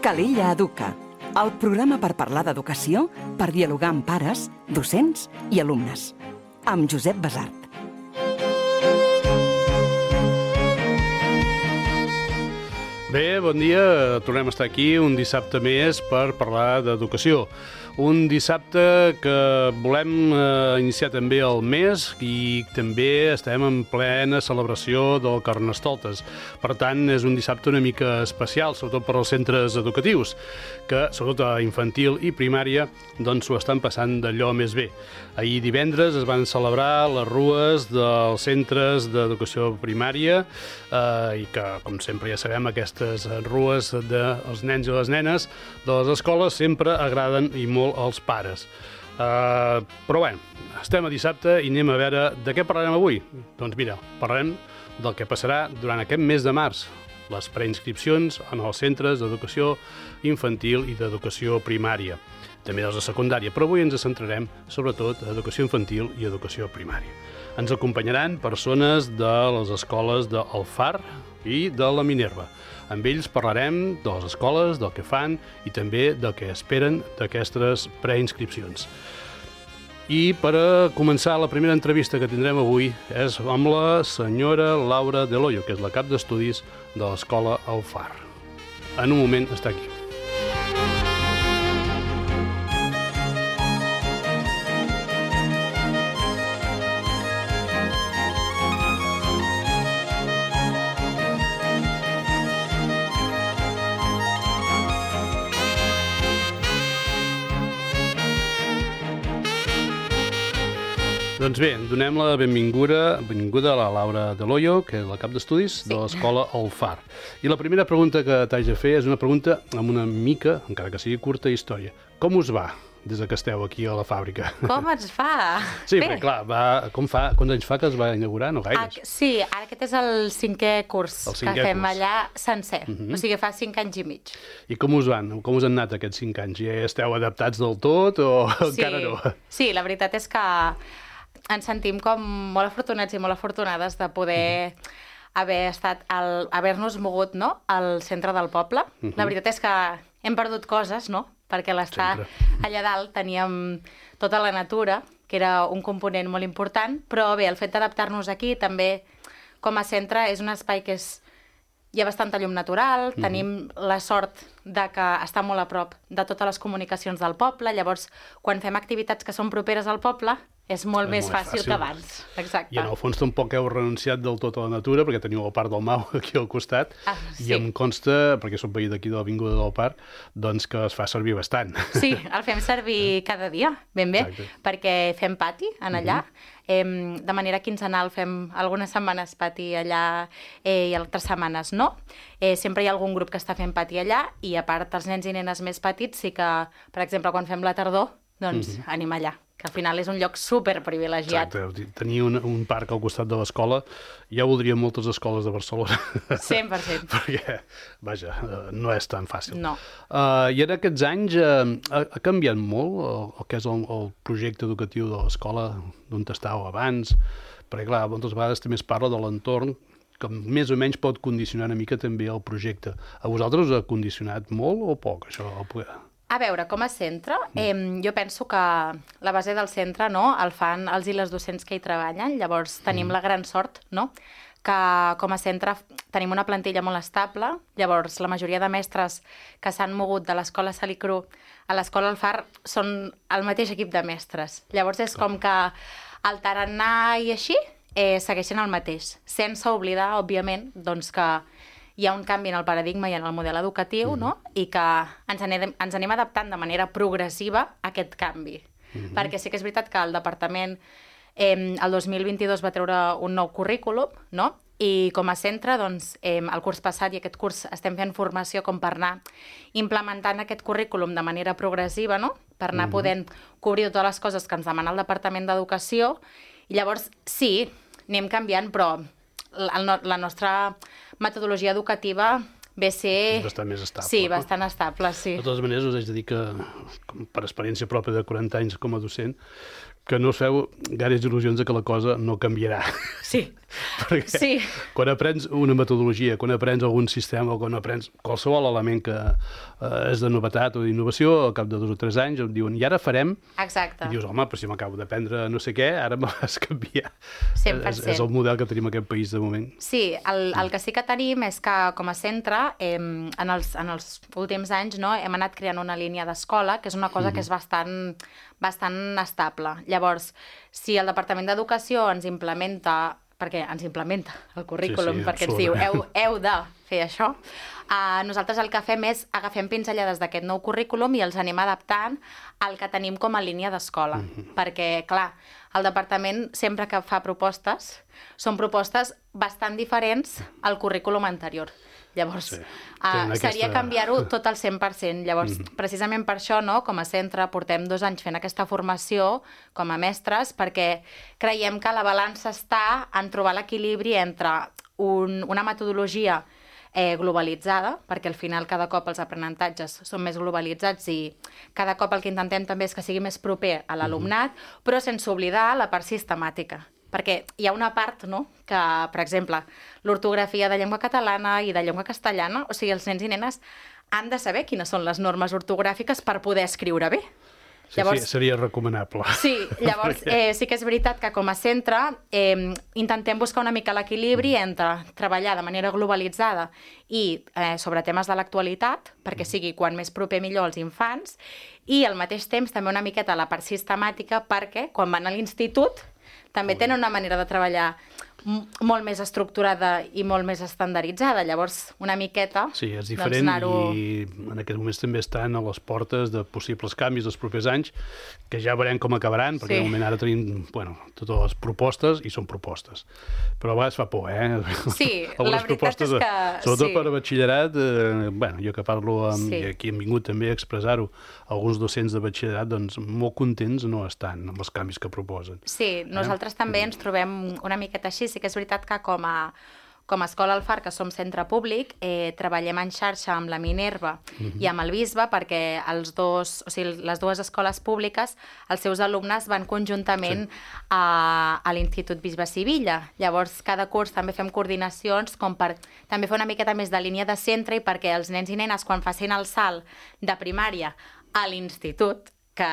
Calella Educa, el programa per parlar d'educació, per dialogar amb pares, docents i alumnes. Amb Josep Basart. Bé, bon dia. Tornem a estar aquí un dissabte més per parlar d'educació. Un dissabte que volem iniciar també el mes i també estem en plena celebració del Carnestoltes. Per tant, és un dissabte una mica especial, sobretot per als centres educatius, que, sobretot a infantil i primària, doncs s'ho estan passant d'allò més bé. Ahir divendres es van celebrar les rues dels centres d'educació primària i que, com sempre ja sabem, aquestes rues dels nens i les nenes de les escoles sempre agraden i molt als pares. Però bé, estem a dissabte i anem a veure de què parlarem avui. Doncs mira, parlarem del que passarà durant aquest mes de març, les preinscripcions en els centres d'educació infantil i d'educació primària, també dels de secundària, però avui ens centrarem sobretot en educació infantil i educació primària. Ens acompanyaran persones de les escoles del FAR i de la Minerva. Amb ells parlarem de les escoles, del que fan i també del que esperen d'aquestes preinscripcions. I per començar, la primera entrevista que tindrem avui és amb la senyora Laura Del Hoyo, que és la cap d'estudis de l'escola El FAR. En un moment està aquí. Doncs bé, donem la benvinguda a la Laura Del Hoyo, que és la cap d'estudis de l'escola El FAR. I la primera pregunta que t'haig de fer és una pregunta amb una mica, encara que sigui curta, història. Com us va des que esteu aquí a la fàbrica? Com ens fa? Sí, perquè clar, quants anys fa que es va inaugurar? No gaires. Sí, ara aquest és el cinquè curs que fem allà sencer. O sigui, fa 5 anys i mig. I com us van? Com us han anat aquests 5 anys? Ja esteu adaptats del tot o encara no? Sí, la veritat és que ens sentim com molt afortunats i molt afortunades de poder haver-nos mogut, no?, al centre del poble. La veritat és que hem perdut coses, no?, perquè l'estar allà dalt teníem tota la natura, que era un component molt important, però bé, el fet d'adaptar-nos aquí també com a centre és un espai que hi ha bastanta llum natural, tenim la sort de que està molt a prop de totes les comunicacions del poble, llavors quan fem activitats que són properes al poble és molt més fàcil que abans. Exacte. I en el fons tampoc heu renunciat del tot a la natura, perquè teniu el Parc del Mau aquí al costat, i em consta, perquè soc veí d'aquí de l'Avinguda del Parc, doncs que es fa servir bastant. Sí, el fem servir cada dia, ben bé, perquè fem pati en allà, de manera quinzenal fem algunes setmanes pati allà i altres setmanes no. Sempre hi ha algun grup que està fent pati allà i a part els nens i nenes més petits sí que, per exemple, quan fem la tardor, doncs anem allà, que al final és un lloc superprivilegiat. Exacte, tenir un parc al costat de l'escola, ja ho voldrien moltes escoles de Barcelona. 100%. Perquè, vaja, no és tan fàcil. No. I en aquests anys ha canviat molt el que és el projecte educatiu de l'escola, d'on estàveu abans, perquè clar, moltes vegades també es parla de l'entorn, que més o menys pot condicionar una mica també el projecte. A vosaltres us ha condicionat molt o poc, això? A veure, com a centre, jo penso que la base del centre no, el fan els i les docents que hi treballen, llavors tenim la gran sort no, que com a centre tenim una plantilla molt estable, llavors la majoria de mestres que s'han mogut de l'escola Salicru a l'escola El FAR són el mateix equip de mestres. Llavors és com que el tarannà i així segueixen el mateix, sense oblidar, òbviament, doncs que hi ha un canvi en el paradigma i en el model educatiu, no? I que ens anem adaptant de manera progressiva a aquest canvi. Perquè sí que és veritat que el departament el 2022 va treure un nou currículum, no? I com a centre, doncs, el curs passat i aquest curs estem fent formació com per anar implementant aquest currículum de manera progressiva, no? Per anar podent cobrir totes les coses que ens demana el Departament d'Educació. I llavors, sí, anem canviant, però la nostra metodologia educativa ve a ser... És bastant més estable. Sí, bastant estable, sí. De totes maneres, us haig de dir que, per experiència pròpia de 40 anys com a docent, que no us feu gaires il·lusions de que la cosa no canviarà. Sí. Perquè Sí. quan aprens una metodologia, quan aprens algun sistema o quan aprens qualsevol element que és de novetat o d'innovació, al cap de 2 o 3 anys et diuen, i ara farem... Exacte. I dius, home, però si m'acabo d'aprendre no sé què, ara me vas canviar. 100%. És el model que tenim en aquest país de moment. Sí, el que sí que tenim és que com a centre en els últims anys no, hem anat creant una línia d'escola, que és una cosa que és bastant estable. Llavors, si el Departament d'Educació ens implementa el currículum, Sí, perquè ens diu heu de fer això, nosaltres el que fem és agafem pinzellades d'aquest nou currículum i els anem adaptant al que tenim com a línia d'escola. Perquè, clar, el departament sempre que fa propostes, són propostes bastant diferents al currículum anterior. Llavors, seria canviar-ho tot al 100%. Llavors, precisament per això, no, com a centre, portem 2 anys fent aquesta formació com a mestres, perquè creiem que la balança està en trobar l'equilibri entre una metodologia globalitzada, perquè al final cada cop els aprenentatges són més globalitzats i cada cop el que intentem també és que sigui més proper a l'alumnat, però sense oblidar la part sistemàtica. Perquè hi ha una part, no?, que, per exemple, l'ortografia de llengua catalana i de llengua castellana, o sigui, els nens i nenes han de saber quines són les normes ortogràfiques per poder escriure bé. Llavors, sí, seria recomanable. Sí, llavors sí que és veritat que com a centre intentem buscar una mica l'equilibri entre treballar de manera globalitzada i sobre temes de l'actualitat, perquè sigui quan més proper millor als infants, i al mateix temps també una miqueta la part sistemàtica perquè quan van a l'institut també tenen una manera de treballar molt més estructurada i molt més estandarditzada. Llavors, una miqueta... Sí, és diferent i en aquests moments també estan a les portes de possibles canvis dels propers anys, que ja veurem com acabaran, perquè de moment ara tenim totes les propostes i són propostes. Però a vegades fa por, Sí, la veritat és que... Sobretot per batxillerat, jo que parlo i aquí hem vingut també a expressar-ho, alguns docents de batxillerat, doncs molt contents no estan amb els canvis que proposen. Sí, nosaltres també ens trobem una miqueta així. Sí que és veritat que com a Escola Alfar, que som centre públic, treballem en xarxa amb la Minerva i amb el Bisbe perquè les dues escoles públiques, els seus alumnes van conjuntament a l'Institut Bisbe Sivilla. Llavors, cada curs també fem coordinacions com per també fer una miqueta més de línia de centre i perquè els nens i nenes, quan facin el salt de primària a l'institut, que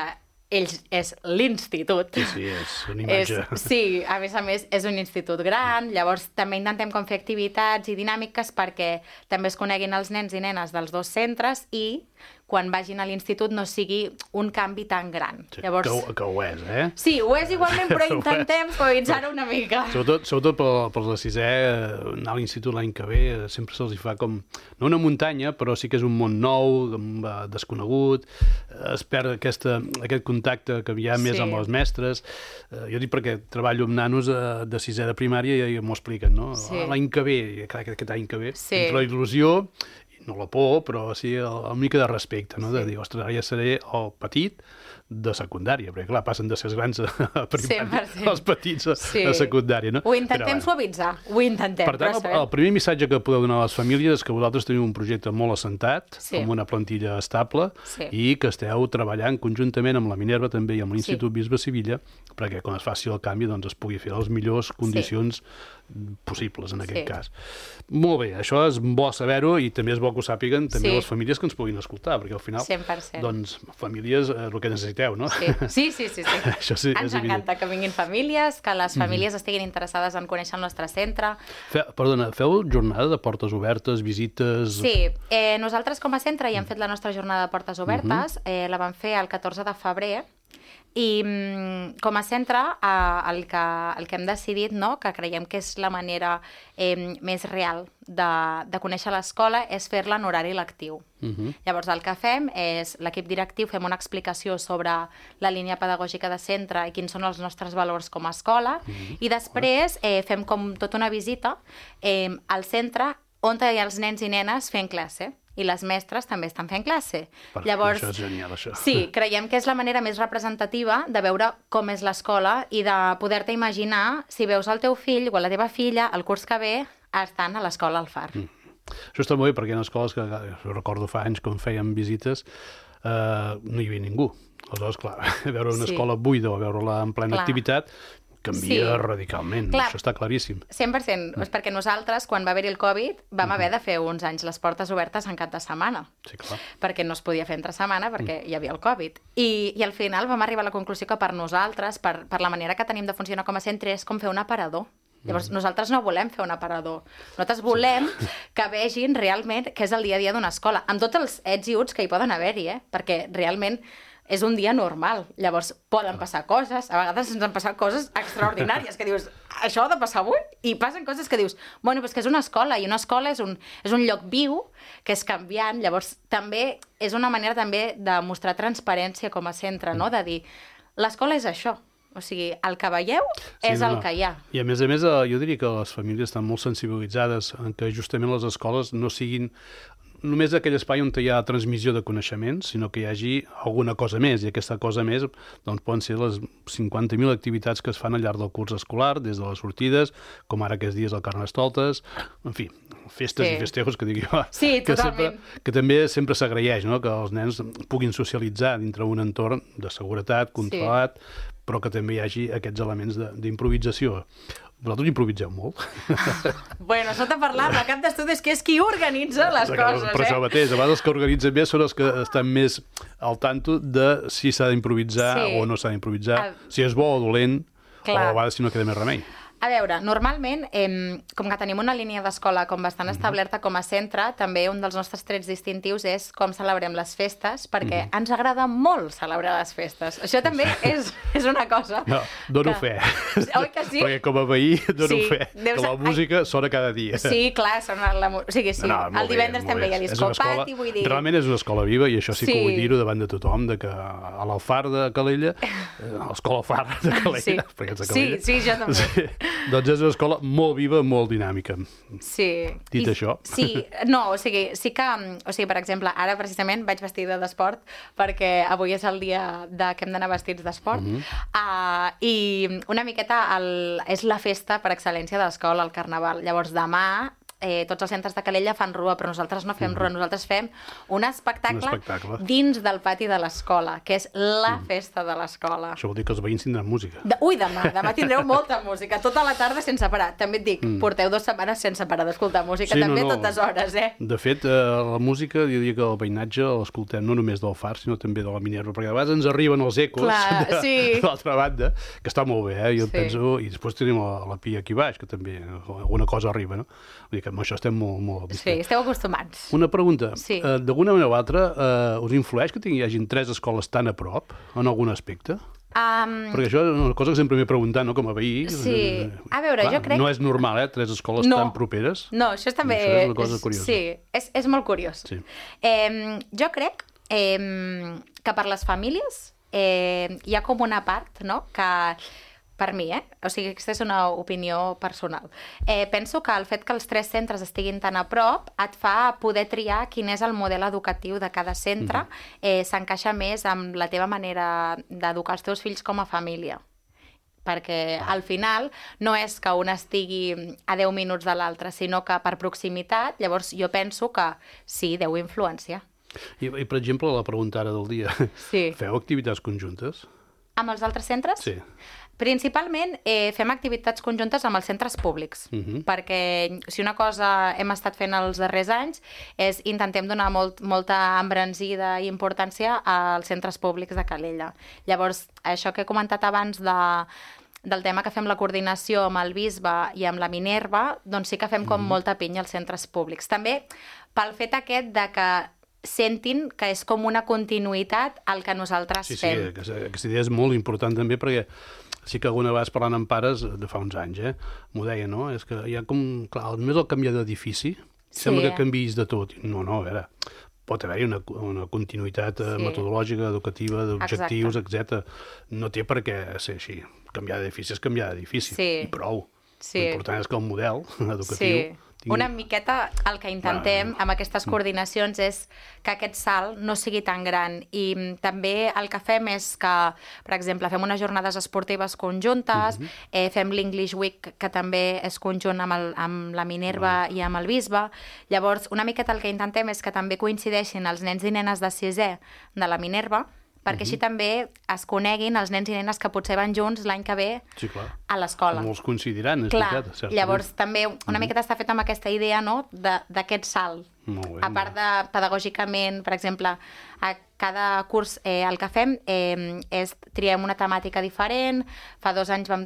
ells és l'institut. Sí, és una imatge. Sí, a més, és un institut gran, llavors també intentem com fer activitats i dinàmiques perquè també es coneguin els nens i nenes dels dos centres i quan vagin a l'institut no sigui un canvi tan gran. Sí, llavors... que ho és, eh? Sí, ho és igualment, però intentem suavitzar-ho una mica. Sobretot per la sisè, anar a l'institut l'any que ve, sempre se'ls fa com, no una muntanya, però sí que és un món nou, desconegut, es perd aquest contacte que hi ha més amb els mestres. Jo dic perquè treballo amb nanos de sisè de primària i m'ho expliquen, no? L'any que ve, aquest any que ve, entre la il·lusió, no la por, però sí una mica de respecte, no? De dir, ostres, ara ja seré el petit de secundària, perquè clar, passen de ser els grans a primària, els petits a secundària, no? Ho intentem suavitzar, ho intentem. Per tant, el primer missatge que podeu donar a les famílies és que vosaltres teniu un projecte molt assentat, amb una plantilla estable, i que esteu treballant conjuntament amb la Minerva també i amb l'Institut Bisbe Sivilla, perquè quan es faci el canvi doncs es pugui fer les millors condicions possibles, en aquest cas. Molt bé, això és bo saber-ho i també és bo que ho sàpiguen també les famílies que ens puguin escoltar, perquè al final, 100%. Doncs, famílies, el que necessiteu, no? Sí. Ens encanta que vinguin famílies, que les famílies estiguin interessades en conèixer el nostre centre. Perdona, feu jornada de portes obertes, visites... Sí, nosaltres com a centre ja hem fet la nostra jornada de portes obertes, la vam fer el 14 de febrer, i com a centre el que hem decidit, no, que creiem que és la manera més real de conèixer l'escola és fer-la en horari lectiu. Llavors el que fem és, l'equip directiu fem una explicació sobre la línia pedagògica de centre i quins són els nostres valors com a escola i després fem com tota una visita al centre on hi ha els nens i nenes fent classe. I les mestres també estan fent classe. Llavors, això és genial, això. Sí, creiem que és la manera més representativa de veure com és l'escola i de poder-te imaginar si veus el teu fill o la teva filla el curs que ve estan a l'escola Alfar. Això està molt bé perquè en escoles que recordo fa anys quan fèiem visites no hi havia ningú. Aleshores, clar, veure una escola buida o veure-la en plena activitat canvia radicalment, això està claríssim. 100%, és perquè nosaltres, quan va haver-hi el Covid, vam haver de fer uns anys les portes obertes en cap de setmana. Sí, clar. Perquè no es podia fer entre setmana, perquè hi havia el Covid. I al final vam arribar a la conclusió que per nosaltres, per la manera que tenim de funcionar com a centre, és com fer un aparador. Llavors, nosaltres no volem fer un aparador. Nosaltres volem que vegin realment què és el dia a dia d'una escola, amb tots els ets i uts que hi poden haver-hi, perquè realment és un dia normal. Llavors, poden passar coses. A vegades ens han passat coses extraordinàries, que dius, això ha de passar avui? I passen coses que dius, bueno, però és que és una escola, i una escola és un lloc viu, que és canviant. Llavors, també és una manera també de mostrar transparència com a centre, no? De dir, l'escola és això. O sigui, el que veieu és el que hi ha. I a més, jo diria que les famílies estan molt sensibilitzades en que justament les escoles no siguin només aquell espai on hi ha transmissió de coneixements, sinó que hi hagi alguna cosa més, i aquesta cosa més doncs, poden ser les 50.000 activitats que es fan al llarg del curs escolar, des de les sortides, com ara aquests dies al Carnestoltes, en fi, festes i festejos, que dic jo, que també sempre s'agraeix, no? Que els nens puguin socialitzar dintre un entorn de seguretat, controlat, però que també hi hagi aquests elements d'improvisació. Vosaltres improviseu molt? Bueno, això t'ha parlat, el cap d'estudis, que és qui organitza les coses, Per això mateix, a vegades els que organitzen bé són els que estan més al tanto de si s'ha d'improvisar o no s'ha d'improvisar, si és bo o dolent, o a vegades si no queda més remei. A veure, normalment, com que tenim una línia d'escola com bastant establerta com a centre, també un dels nostres trets distintius és com celebrem les festes, perquè ens agrada molt celebrar les festes. Això també és una cosa... No, dono fe. Oi que sí? Perquè com a veí dono fe, que la música sona cada dia. Sí, clar, sona la música. O sigui, sí, el divendres també hi ha discopati, vull dir... Realment és una escola viva, i això sí que vull dir-ho davant de tothom, que a l'Alfar de Calella, l'escola Alfar de Calella, perquè ets de Calella... Sí, jo també. Doncs és una escola molt viva, molt dinàmica. Sí. Dit això. Sí, no, o sigui, sí que... O sigui, per exemple, ara precisament vaig vestida d'esport perquè avui és el dia que hem d'anar vestits d'esport. I una miqueta és la festa per excel·lència de l'escola, el Carnaval. Llavors, demà tots els centres de Calella fan rua, però nosaltres no fem rua, nosaltres fem un espectacle dins del pati de l'escola, que és la festa de l'escola. Això vol dir que els veïns tindran música. Ui, demà tindreu molta música, tota la tarda sense parar. També et dic, porteu 2 setmanes sense parar d'escoltar música, també totes hores, De fet, la música, jo diria que el veïnatge l'escoltem no només del Far, sinó també de la Minerva, perquè a vegades ens arriben els ecos de l'altra banda, que està molt bé, jo penso, i després tenim la Pia aquí baix, que també alguna cosa arriba, no? Vull dir que amb això estem molt... Sí, esteu acostumats. Una pregunta. D'alguna manera o altra, us influeix que hi hagin 3 escoles tan a prop, en algun aspecte? Perquè això és una cosa que sempre m'he preguntat, no?, com a veí. Sí. A veure, jo crec... No és normal, 3 escoles tan properes. No, això també... Això és una cosa curiosa. Sí, és molt curiós. Jo crec que per les famílies hi ha com una part, no?, que... Per mi, o sigui, aquesta és una opinió personal. Penso que el fet que els 3 centres estiguin tan a prop et fa poder triar quin és el model educatiu de cada centre, s'encaixa més amb la teva manera d'educar els teus fills com a família. Perquè al final no és que un estigui a 10 minuts de l'altre, sinó que per proximitat, llavors jo penso que sí, deu influenciar. I per exemple, la pregunta ara del dia. Feu activitats conjuntes? Amb els altres centres? Sí. Principalment fem activitats conjuntes amb els centres públics, perquè si una cosa hem estat fent els darrers anys és intentem donar molta embranzida i importància als centres públics de Calella. Llavors, això que he comentat abans del tema que fem la coordinació amb el Bisbe i amb la Minerva, doncs sí que fem com molta pinya als centres públics. També pel fet aquest de que sentin que és com una continuïtat al que nosaltres fem. Sí, aquesta idea és molt important també, perquè sí que alguna vegada parlant amb pares de fa uns anys, m'ho deia, no? És que hi ha com, clar, només el canviar d'edifici, sembla que canviïs de tot. No, a veure, pot haver-hi una continuïtat metodològica, educativa, d'objectius, etc. No té per què ser així. Canviar d'edifici és canviar d'edifici, i prou. L'important és que el model educatiu Una miqueta el que intentem amb aquestes coordinacions és que aquest salt no sigui tan gran. I també el que fem és que, per exemple, fem unes jornades esportives conjuntes, fem l'English Week, que també és conjunt amb la Minerva i amb el Bisbe. Llavors, una miqueta el que intentem és que també coincideixin els nens i nenes de 6è de la Minerva, perquè així també es coneguin els nens i nenes que potser van junts l'any que ve a l'escola. Molts coincidiran, és clar, veritat, certament. llavors també una miqueta està fet amb aquesta idea, no?, d'aquest salt. A part de pedagògicament, per exemple, a cada curs el que fem és triem una temàtica diferent. Fa 2 anys vam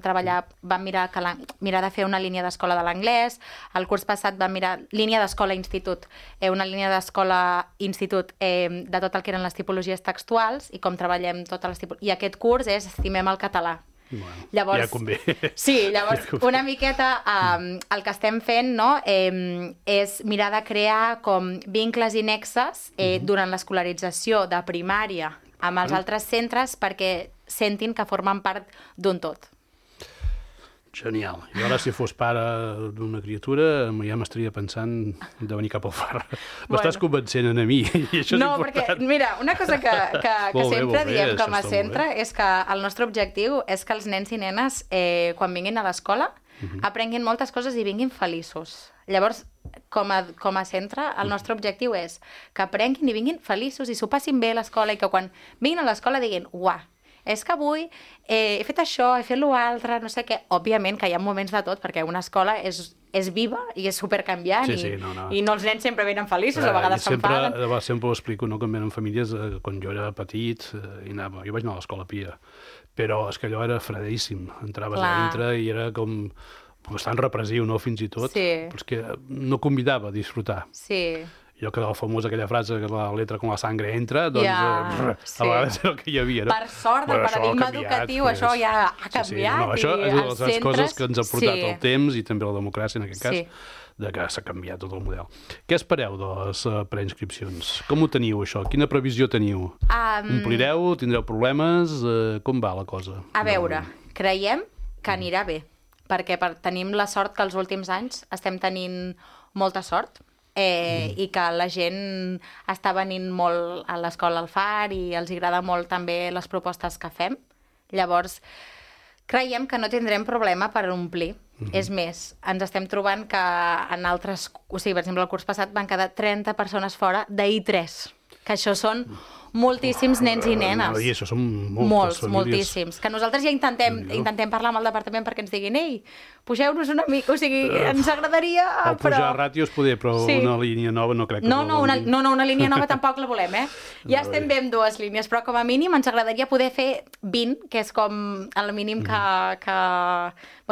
mirar de fer una línia d'escola de l'anglès. El curs passat vam mirar línia d'escola-institut, una línia d'escola-institut de tot el que eren les tipologies textuals i com treballem totes les tipologies. I aquest curs és Estimem el català. Bueno, llavors, ja convé. Sí, llavors una miqueta el que estem fent, no, és mirar de crear com vincles i nexes durant l'escolarització de primària amb els altres centres perquè sentin que formen part d'un tot. Genial. I ara, si fos pare d'una criatura, ja m'estaria pensant de venir cap al Far. M'estàs convencent a mi, i això és important. No, perquè, mira, una cosa que sempre diem com a centre és que el nostre objectiu és que els nens i nenes, quan vinguin a l'escola, aprenguin moltes coses i vinguin feliços. Llavors, com a centre, el nostre objectiu és que aprenguin i vinguin feliços i s'ho passin bé a l'escola i que quan vinguin a l'escola diguin «Uah, és que avui he fet això, he fet l'altre, no sé què». Òbviament que hi ha moments de tot, perquè una escola és viva i és supercanviant i no els nens sempre venen feliços, a vegades s'enfaden. Sempre ho explico, no? Quan venen famílies, quan jo era petit, jo vaig anar a l'escola Pia, però és que allò era fredíssim. Entraves a dintre i era com bastant repressiu, no?, fins i tot. Però és que no convidava a disfrutar. Sí. Allò que la famosa aquella frase que la letra com la sangre entra, doncs a vegades era el que hi havia. Per sort, el paradigma educatiu, això ja ha canviat. Això és una de les coses que ens ha portat el temps i també la democràcia, en aquest cas, de que s'ha canviat tot el model. Què espereu de les preinscripcions? Com ho teniu, això? Quina previsió teniu? Omplireu? Tindreu problemes? Com va la cosa? A veure, creiem que anirà bé, perquè tenim la sort que els últims anys estem tenint molta sort, i que la gent està venint molt a l'escola al Far i els agrada molt també les propostes que fem. Llavors, creiem que no tindrem problema per omplir. És més, ens estem trobant que en altres... O sigui, per exemple, el curs passat van quedar 30 persones fora d'I3, que això són moltíssims nens i nenes. I això són moltes famílies. Moltíssims. Que nosaltres ja intentem parlar amb el departament perquè ens diguin «Ei, pugeu-nos una mica», o sigui, ens agradaria, però... O pujar ràtios poder, però una línia nova no crec que... No, una línia nova tampoc la volem, Ja estem bé amb 2 línies, però com a mínim ens agradaria poder fer 20, que és com el mínim que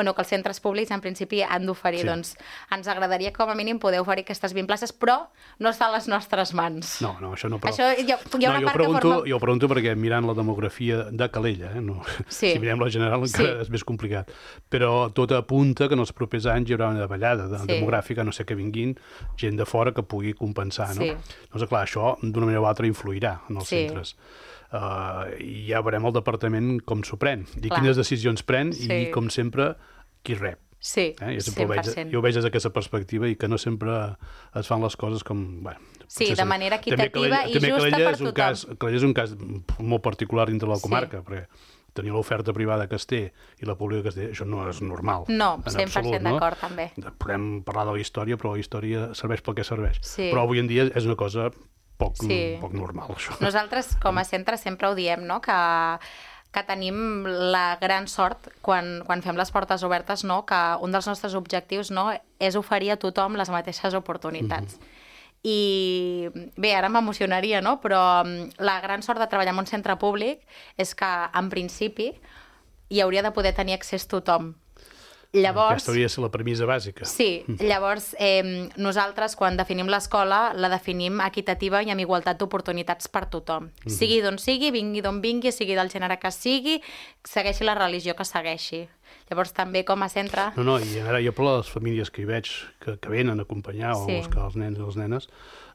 els centres públics en principi han d'oferir. Doncs ens agradaria com a mínim poder oferir aquestes 20 places, però no està a les nostres mans. No, això no, però... Jo pregunto perquè mirant la demografia de Calella, si mirem la general encara és més complicat, però tot apunta que en els propers anys hi haurà una davallada demogràfica, no sé que vinguin gent de fora que pugui compensar, no? Doncs clar, això d'una manera o altra influirà en els centres. I ja veurem el departament com s'ho pren, i quines decisions pren i, com sempre, qui rep. Sí, 100%. Jo ho veig des d'aquesta perspectiva i que no sempre es fan les coses com... Sí, de manera equitativa i justa per tothom. Calella és un cas molt particular dintre la comarca, perquè tenir l'oferta privada que es té i la pública que es té, això no és normal. No, 100% d'acord, també. Podem parlar de la història, però la història serveix pel que serveix. Però avui en dia és una cosa poc normal, això. Nosaltres, com a centre, sempre ho diem, no?, que tenim la gran sort, quan fem les portes obertes, que un dels nostres objectius és oferir a tothom les mateixes oportunitats. I bé, ara m'emocionaria, però la gran sort de treballar en un centre públic és que, en principi, hi hauria de poder tenir accés tothom. Llavors, aquesta hauria de ser la premissa bàsica. Sí, llavors nosaltres quan definim l'escola la definim equitativa i amb igualtat d'oportunitats per tothom. Sigui d'on sigui, vingui d'on vingui, sigui del gènere que sigui, segueixi la religió que segueixi. Llavors també com a centre... No, i ara jo per les famílies que hi veig que venen a acompanyar, o els nens i les nenes,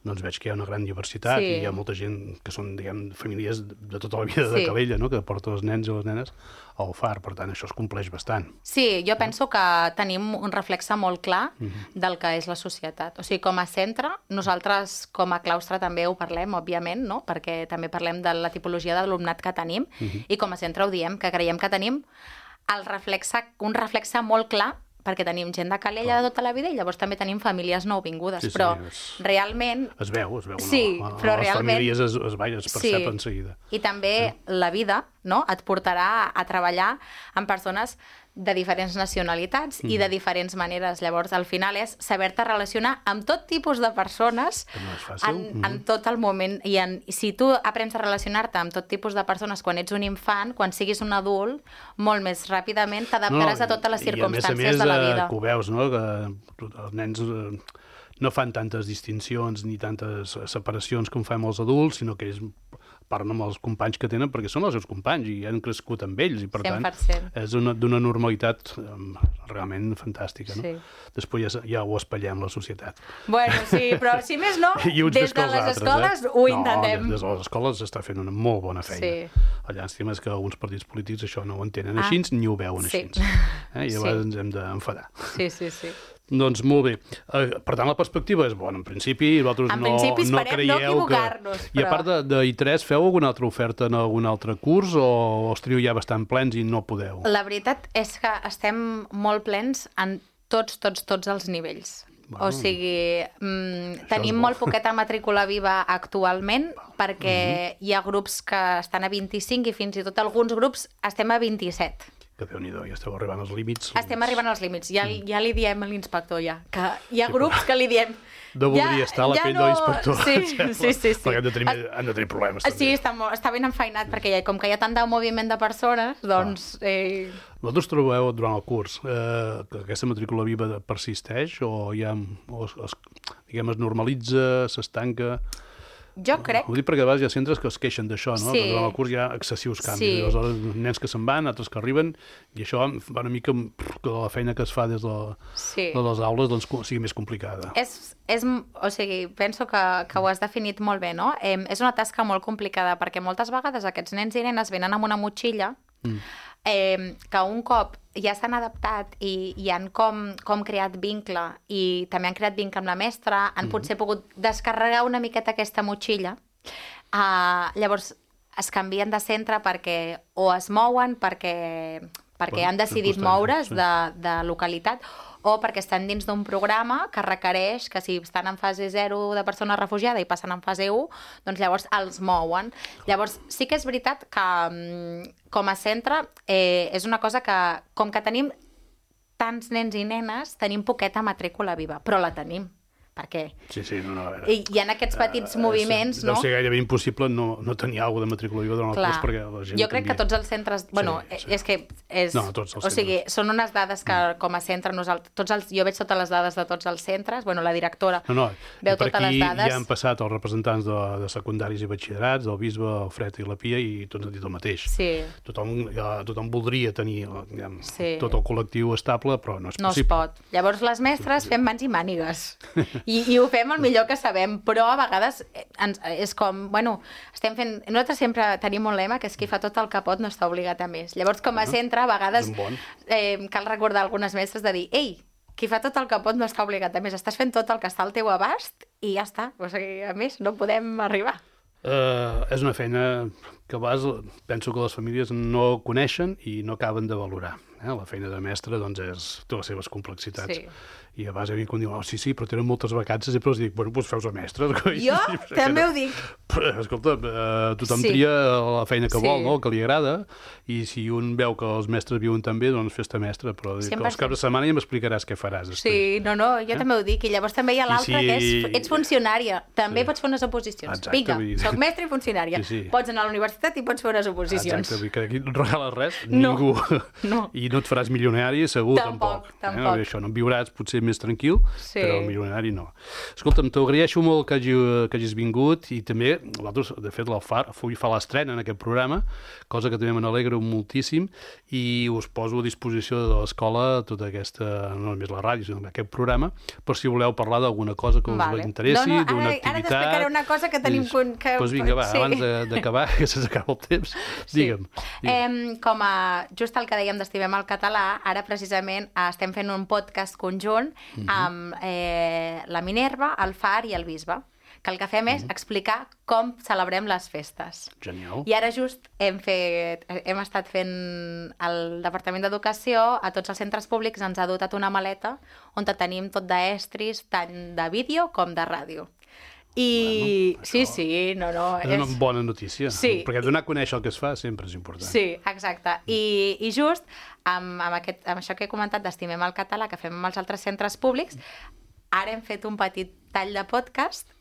doncs veig que hi ha una gran diversitat i hi ha molta gent que són, diguem, famílies de tota la vida de Calella, no?, que porta els nens i les nenes al far, per tant, això es compleix bastant. Sí, jo penso que tenim un reflexe molt clar del que és la societat. O sigui, com a centre, nosaltres com a claustre també ho parlem, òbviament, no?, perquè també parlem de la tipologia d'alumnat que tenim, i com a centre ho diem, que creiem que tenim un reflexe molt clar, perquè tenim gent de Calella de tota la vida i llavors també tenim famílies nouvingudes, però realment... Es veu, sí, però les realment... famílies es percep en seguida. I també la vida, no?, et portarà a treballar amb persones de diferents nacionalitats i de diferents maneres. Llavors, al final és saber-te relacionar amb tot tipus de persones en tot el moment. I si tu aprens a relacionar-te amb tot tipus de persones quan ets un infant, quan siguis un adult, molt més ràpidament t'adaptaràs a totes les circumstàncies de la vida. I a més, que ho veus, no?, que els nens no fan tantes distincions ni tantes separacions com fem els adults, sinó que ells parlen amb els companys que tenen perquè són els seus companys i han crescut amb ells i per 100%. tant és d'una normalitat realment fantàstica, no? Després ja ho espatllem la societat. Bueno, sí, però si més no, des de les escoles ho intentem. Des de les escoles s'està fent una molt bona feina. La llàstima és que alguns partits polítics això no ho entenen així ni ho veuen així. I llavors ens hem d'enfadar. Sí. Doncs molt bé. Per tant, la perspectiva és bona. En principi, vosaltres no creieu que... I a part de I3, feu alguna altra oferta en algun altre curs o els teniu ja bastant plens i no podeu? La veritat és que estem molt plens en tots els nivells. O sigui, tenim molt poqueta matrícula viva actualment perquè hi ha grups que estan a 25 i fins i tot alguns grups estem a 27. Que Déu-n'hi-do, ja esteu arribant als límits. Estem arribant als límits. Ja li diem a l'inspector, que hi ha grups que li diem... No voldria estar a la pell de l'inspector. Sí. Perquè han de tenir problemes. Sí, està ben enfeinat, perquè com que hi ha tant de moviment de persones, doncs... Vosaltres trobeu durant el curs que aquesta matrícula viva persisteix o es normalitza, s'estanca... Jo crec... Ho dic perquè a vegades hi ha centres que es queixen d'això, no? Que durant el curs hi ha excessius canvis. Aleshores, nens que se'n van, altres que arriben, i això va una mica que la feina que es fa des de les aules doncs, sigui més complicada. O sigui, penso que ho has definit molt bé, no? És una tasca molt complicada, perquè moltes vegades aquests nens i nenes venen amb una motxilla que un cop ja s'han adaptat i han com creat vincle i també han creat vincle amb la mestra, han potser pogut descarregar una miqueta aquesta motxilla, llavors es canvien de centre perquè o es mouen perquè han decidit moure's de localitat o perquè estan dins d'un programa que requereix que si estan en fase 0 de persona refugiada i passen en fase 1, doncs llavors els mouen. Llavors sí que és veritat que com a centre és una cosa que, com que tenim tants nens i nenes, tenim poqueta matrícula viva, però la tenim. Perquè a veure. Hi ha aquests petits moviments, no? Deu ser gairebé impossible no tenir alguna de matrícula viva durant el curs perquè la gent... Jo crec que tots els centres... És que és... No, tots els centres. O sigui, són unes dades que com a centre jo veig totes les dades de tots els centres, la directora veu totes les dades. Ja han passat els representants de secundaris i batxillerats, el bisbe, el Fred i la Pia, i tots han dit el mateix. Sí. Tothom voldria tenir tot el col·lectiu estable, però no és possible. No es pot. Llavors les mestres fem mans i mànigues. I ho fem el millor que sabem, però a vegades és com, estem fent... Nosaltres sempre tenim un lema que és qui fa tot el que pot no està obligat a més. Llavors, com a centre, a vegades cal recordar algunes mestres de dir qui fa tot el que pot no està obligat a més. Estàs fent tot el que està al teu abast i ja està. O sigui, a més, no podem arribar. És una feina que a vegades penso que les famílies no coneixen i no acaben de valorar. La feina de mestre doncs, té les seves complexitats. I a vegades hi ha gent que diu, sí, però tenen moltes vacances, i els dic, doncs feu-se mestres. Jo també ho dic. Escolta, tothom tria la feina que vol, el que li agrada, i si un veu que els mestres viuen tan bé, doncs fes-te mestre, però els caps de setmana ja m'explicaràs què faràs. Sí, jo també ho dic, i llavors també hi ha l'altre que és, ets funcionària, també pots fer unes oposicions. Vinga, soc mestre i funcionària. Pots anar a la universitat i pots fer unes oposicions. Exacte, que aquí no et regales res, ningú. I no et faràs milionari, segur, tampoc. Això no en viuràs potser més tranquil, però milionari no. Escolta'm, t'agraeixo molt que hagis vingut i també, vosaltres, de fet, l'Alfar avui fa l'estrena en aquest programa, cosa que també me n'alegro moltíssim, i us poso a disposició de l'escola tota aquesta, no només la ràdio, sinó aquest programa, per si voleu parlar d'alguna cosa que us interessi, d'una activitat. Ara t'explicaré una cosa que tenim... Doncs vinga, va, abans d'acabar, que se'ns acaba el temps, digue'm. Com just el que dèiem d'Estimem el Català, ara precisament estem fent un podcast conjunt amb la Minerva, el Far i el Bisbe, que el que fem és explicar com celebrem les festes. Genial. I ara just hem estat fent el Departament d'Educació, a tots els centres públics ens ha dotat una maleta on tenim tot d'estris, tant de vídeo com de ràdio. I sí, no... És una bona notícia, sí. Perquè donar a conèixer el que es fa sempre és important. Sí, exacte. I just amb això que he comentat d'Estimem el Català, que fem amb els altres centres públics, ara hem fet un petit tall de podcast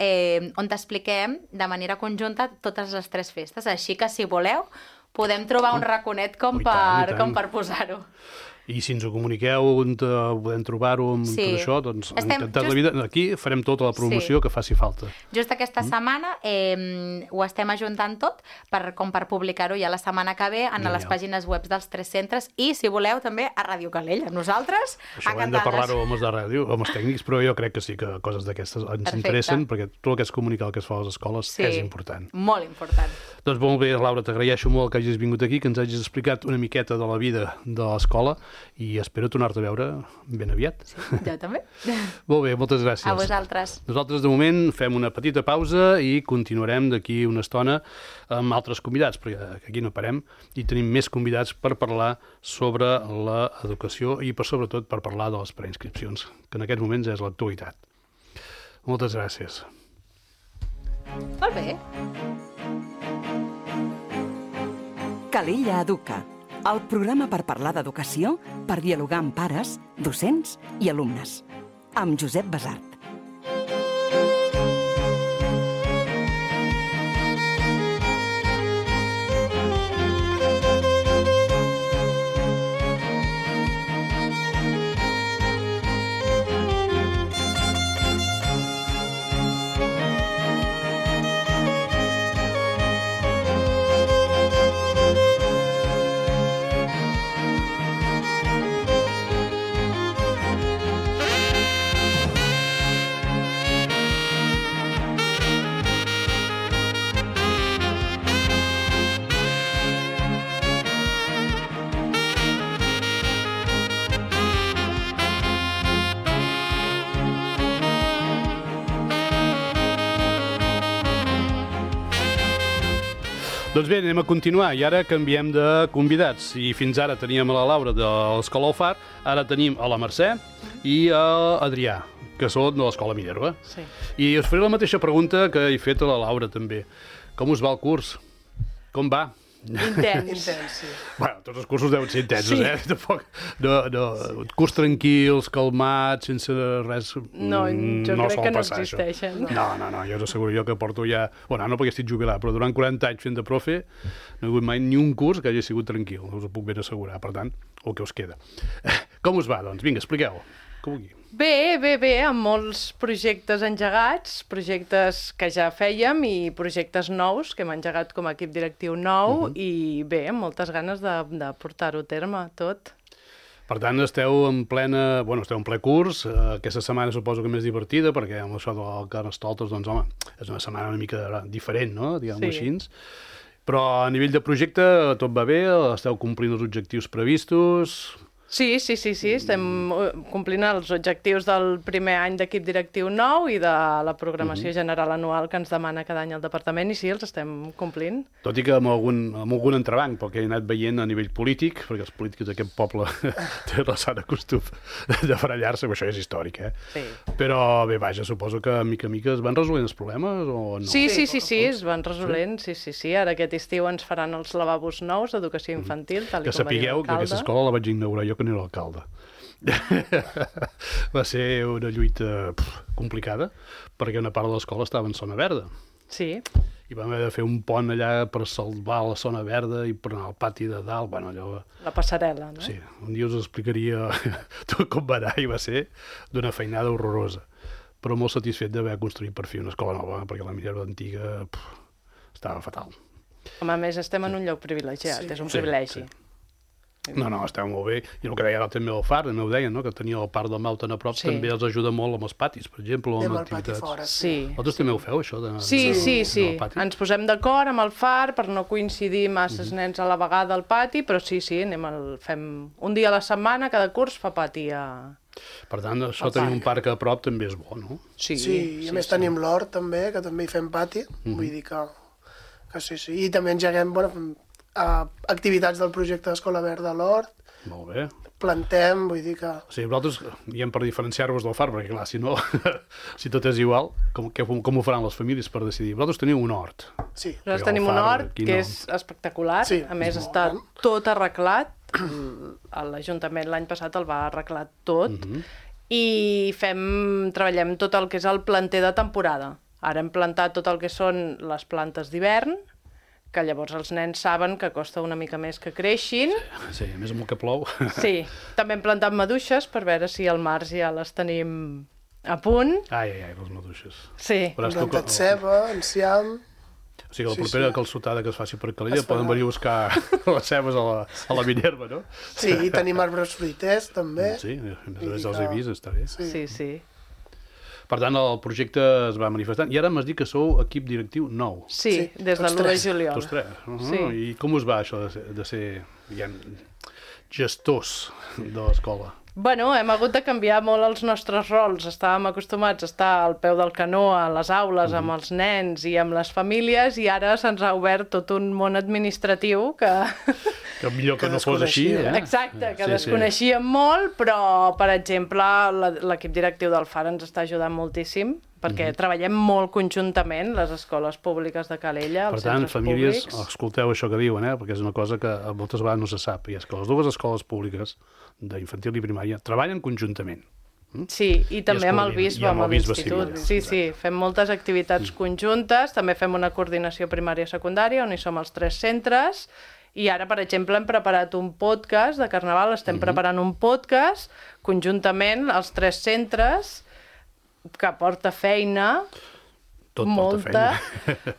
on t'expliquem de manera conjunta totes les 3 festes. Així que, si voleu, podem trobar un raconet com per posar-ho. I si ens ho comuniqueu on podem trobar-ho amb tot això, doncs encantat la vida. Aquí farem tota la promoció que faci falta. Just aquesta setmana ho estem ajuntant tot com per publicar-ho ja la setmana que ve en les pàgines web dels 3 centres i, si voleu, també a Ràdio Calella. Nosaltres, això ho hem de parlar-ho amb els de ràdio, amb els tècnics, però jo crec que sí que coses d'aquestes ens interessen, perquè tot el que és comunicar el que es fa a les escoles és important. Molt important. Doncs molt bé, Laura, t'agraeixo molt que hagis vingut aquí, que ens hagis explicat una miqueta de la vida de l'escola i espero tornar-te a veure ben aviat. Sí, jo també. Molt bé, moltes gràcies. A vosaltres. Nosaltres, de moment, fem una petita pausa i continuarem d'aquí una estona amb altres convidats, perquè aquí no parem i tenim més convidats per parlar sobre l'educació i, sobretot, per parlar de les preinscripcions, que en aquests moments és l'actualitat. Moltes gràcies. Molt bé. Calella Educa, el programa per parlar d'educació, per dialogar amb pares, docents i alumnes. Amb Josep Basart. Doncs bé, anem a continuar i ara canviem de convidats. I fins ara teníem a la Laura de l'Escola Alfar, ara tenim a la Mercè i a Adrià, que són de l'Escola Minerva. Sí. I us faré la mateixa pregunta que he fet a la Laura també. Com us va el curs? Com va? Intens, sí. Bueno, tots els cursos deuen ser intensos, Tampoc, curs tranquils, calmats, sense res... No, jo crec que no existeixen. No, jo us asseguro, jo que porto ja... Bueno, no perquè estic jubilat, però durant 40 anys fent de profe no he hagut mai ni un curs que hagi sigut tranquil, us ho puc ben assegurar, per tant, el que us queda. Com us va, doncs? Vinga, expliqueu. Com vulgui. Bé, amb molts projectes engegats, projectes que ja fèiem i projectes nous que hem engegat com a equip directiu nou i bé, amb moltes ganes de portar-ho a terme tot. Per tant, esteu en ple curs. Aquesta setmana suposo que més divertida, perquè amb això del Carnestoltes, doncs, home, és una setmana una mica diferent, no?, diguem-ho així. Però a nivell de projecte tot va bé? Esteu complint els objectius previstos? Sí, estem complint els objectius del primer any d'equip directiu nou i de la programació general anual que ens demana cada any el departament i sí, els estem complint. Tot i que amb algun entrebanc, perquè he anat veient a nivell polític, perquè els polítics d'aquest poble tenen la sana costum de barallar-se, això és històric, Sí. Però bé, vaja, suposo que mica en mica es van resolent els problemes o no? Sí, es van resolent, sí. Ara aquest estiu ens faran els lavabos nous d'educació infantil, tal que com va dir sapigueu que aquesta escola la vaig inaugurar jo que no era l'alcalde. Va ser una lluita complicada, perquè una part de l'escola estava en zona verda. Sí. I vam haver de fer un pont allà per salvar la zona verda i per anar al pati de dalt. Bueno, allò... La passarel·la, no? Sí, un dia us explicaria tot com va anar i va ser d'una feinada horrorosa. però molt satisfet d'haver construït per fi una escola nova, perquè la Minerva antiga estava fatal. Home, a més, estem en un lloc privilegiat, és un privilegi. Sí. No, esteu molt bé. I el que deia també el FAR, també ho deien, no? Que tenia el parc del Mau tan a prop, també els ajuda molt amb els patis, per exemple, o amb activitats. Fora, Vosaltres també ho feu, això? Sí. Ens posem d'acord amb el FAR per no coincidir masses nens a la vegada al pati, però sí, fem un dia a la setmana, cada curs fa pati a... Per tant, això tenir un parc a prop també és bo, no? Sí, i a més tenim l'hort també, que també hi fem pati, vull dir que sí. I també engeguem, activitats del projecte d'Escola Verda a l'hort. Molt bé. Plantem, vull dir que... O sigui, vosaltres, diem per diferenciar-vos del FAR, perquè clar, si no, si tot és igual, com ho faran les famílies per decidir? Vosaltres teniu un hort. Sí. Nosaltres tenim un hort que és espectacular, a més està tot arreglat, l'Ajuntament l'any passat el va arreglar tot, i treballem tot el que és el planter de temporada. Ara hem plantat tot el que són les plantes d'hivern, que llavors els nens saben que costa una mica més que creixin. Sí, a més amb el que plou. Sí, també hem plantat maduixes per veure si al març ja les tenim a punt. Ai, les maduixes. Sí. Hem plantat ceba, enciam... O sigui, la propera calçotada que es faci per Calella poden venir a buscar les cebes a la Minerva, no? Sí, i tenim arbres fruiters, també. Sí, a més els he vist, està bé. Sí. Per tant, el projecte es va manifestant. I ara m'has dit que sou equip directiu nou. Sí, des del 1 de juliol. Tots tres. I com us va això de ser gestors de l'escola? Bueno, hem hagut de canviar molt els nostres rols. Estàvem acostumats a estar al peu del canó, a les aules, amb els nens i amb les famílies, i ara se'ns ha obert tot un món administratiu que... Que millor que no fos així, eh? Exacte, que desconeixíem molt, però, per exemple, l'equip directiu del FAR ens està ajudant moltíssim, perquè treballem molt conjuntament, les escoles públiques de Calella, els centres públics. Per tant, famílies, escolteu això que diuen, perquè és una cosa que moltes vegades no se sap, i és que les dues escoles públiques, d'infantil i primària, treballen conjuntament. Sí, i també amb el bisbe, amb l'institut. Sí, fem moltes activitats conjuntes, també fem una coordinació primària-secundària, on hi som els 3 centres, i ara, per exemple, hem preparat un podcast de Carnaval, estem preparant un podcast conjuntament als 3 centres, que porta feina, molta,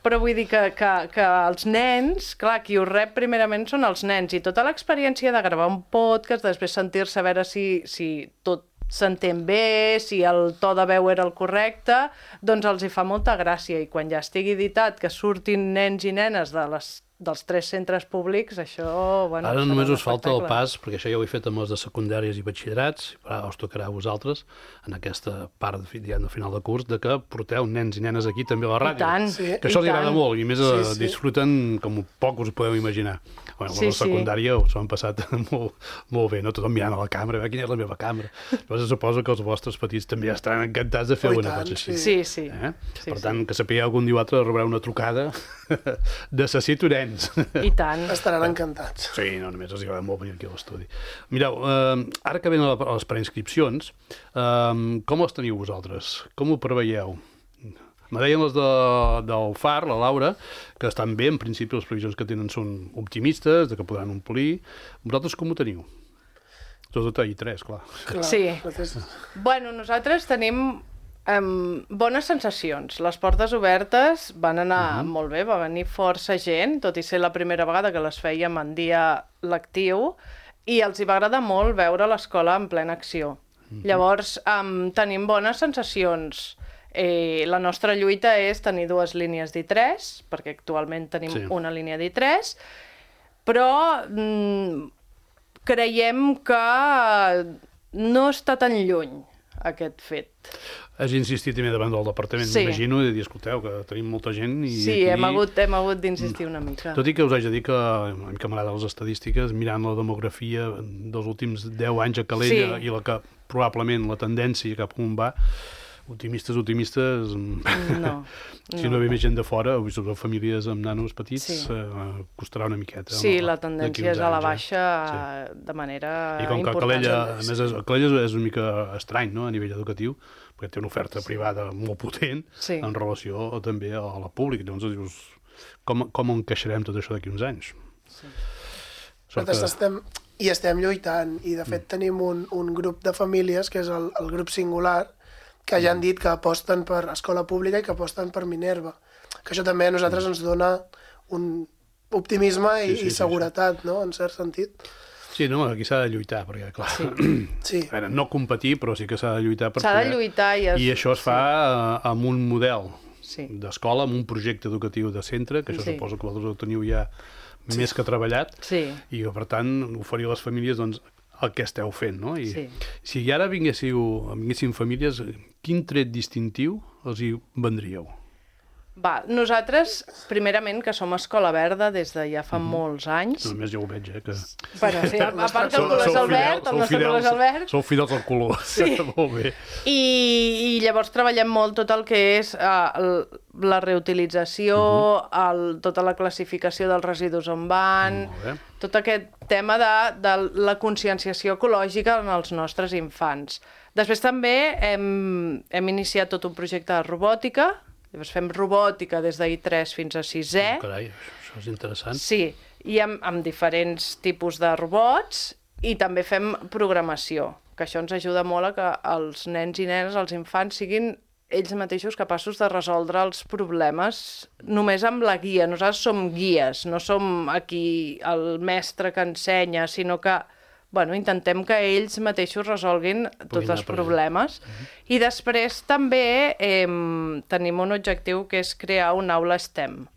però vull dir que els nens, clar, qui ho rep primerament són els nens, i tota l'experiència de gravar un podcast, després sentir-se a veure si tot s'entén bé, si el to de veu era el correcte, doncs els hi fa molta gràcia, i quan ja estigui editat que surtin nens i nenes dels 3 centres públics, això... Ara només us falta el pas, perquè això ja ho he fet amb els de secundàries i batxillerats, però us tocarà a vosaltres, en aquesta part de final de curs, de que porteu nens i nenes aquí també a la ràdio. I tant, que això els agrada molt, i més disfruten com poc us podeu imaginar. Bueno, la secundària s'ho han passat molt bé, no? Tothom mirant a la càmera, quina és la meva càmera. Llavors suposo que els vostres petits també estan encantats de fer una cosa així. Sí. Per tant, que sapigueu que un dia o altre rebreu una trucada necessito nens. I tant. Estaran encantats. Sí, no, només els agrada molt venir aquí a l'estudi. Mireu, ara que venen les preinscripcions, com les teniu vosaltres? Com ho preveieu? Me deien les del FAR, la Laura, que estan bé, en principi les previsions que tenen són optimistes, de que podran omplir. Vosaltres com ho teniu? Tot a I3, clar. Sí. Bueno, nosaltres tenim bones sensacions. Les portes obertes van anar molt bé, va venir força gent, tot i ser la primera vegada que les fèiem en dia lectiu, i els hi va agradar molt veure l'escola en plena acció. Llavors, tenim bones sensacions. La nostra lluita és tenir 2 línies d'I3, perquè actualment tenim una línia d'I3, però creiem que no està tan lluny aquest fet. Has insistit també davant del departament, m'imagino, i dir, escolteu, que tenim molta gent... Sí, hem hagut d'insistir una mica. Tot i que us haig de dir que a mi que m'agrada les estadístiques, mirant la demografia dels últims 10 anys a Calella i la que probablement la tendència cap on va, optimistes, no. Si no ve més gent de fora, sobretot famílies amb nanos petits, costarà una miqueta. Sí, la tendència és a la baixa de manera important. I com que Calella, a més, Calella és una mica estrany, no?, a nivell educatiu, perquè té una oferta privada molt potent en relació també a la pública. Llavors dius, com encaixarem tot això d'aquí uns anys? Nosaltres estem lluitant, i de fet tenim un grup de famílies, que és el grup singular, que ja han dit que aposten per escola pública i que aposten per Minerva. Que això també a nosaltres ens dona un optimisme i seguretat, no?, en cert sentit. Sí, no, aquí s'ha de lluitar, perquè, clar, Sí. a veure, no competir, però sí que s'ha de lluitar per S'ha de lluitar I això es fa amb un model Sí. d'escola, amb un projecte educatiu de centre, que això Sí. suposo que vosaltres ho teniu ja més que treballat, Sí. i que, per tant, oferir a les famílies doncs, el que esteu fent, no? I Sí. si ara vinguessin famílies, quin tret distintiu els hi vendríeu? Va, nosaltres, primerament, que som Escola Verda des de ja fa molts anys. Només ja ho veig, que... Bueno, sí, a part que el color és el verd, el nostre color és el verd. Sou fidels al color. Sí. Molt bé. I llavors treballem molt tot el que és la reutilització, tota la classificació dels residus on van, Molt bé. tot aquest tema de la conscienciació ecològica en els nostres infants. Després també hem iniciat tot un projecte de robòtica. Llavors fem robòtica des d'I3 fins a 6è. Carai, això és interessant. Sí, i amb diferents tipus de robots, i també fem programació, que això ens ajuda molt a que els nens i nenes, els infants, siguin ells mateixos capaços de resoldre els problemes només amb la guia. Nosaltres som guies, no som aquí el mestre que ensenya, sinó que intentem que ells mateixos resolguin tots els problemes. I després també tenim un objectiu que és crear una aula STEM,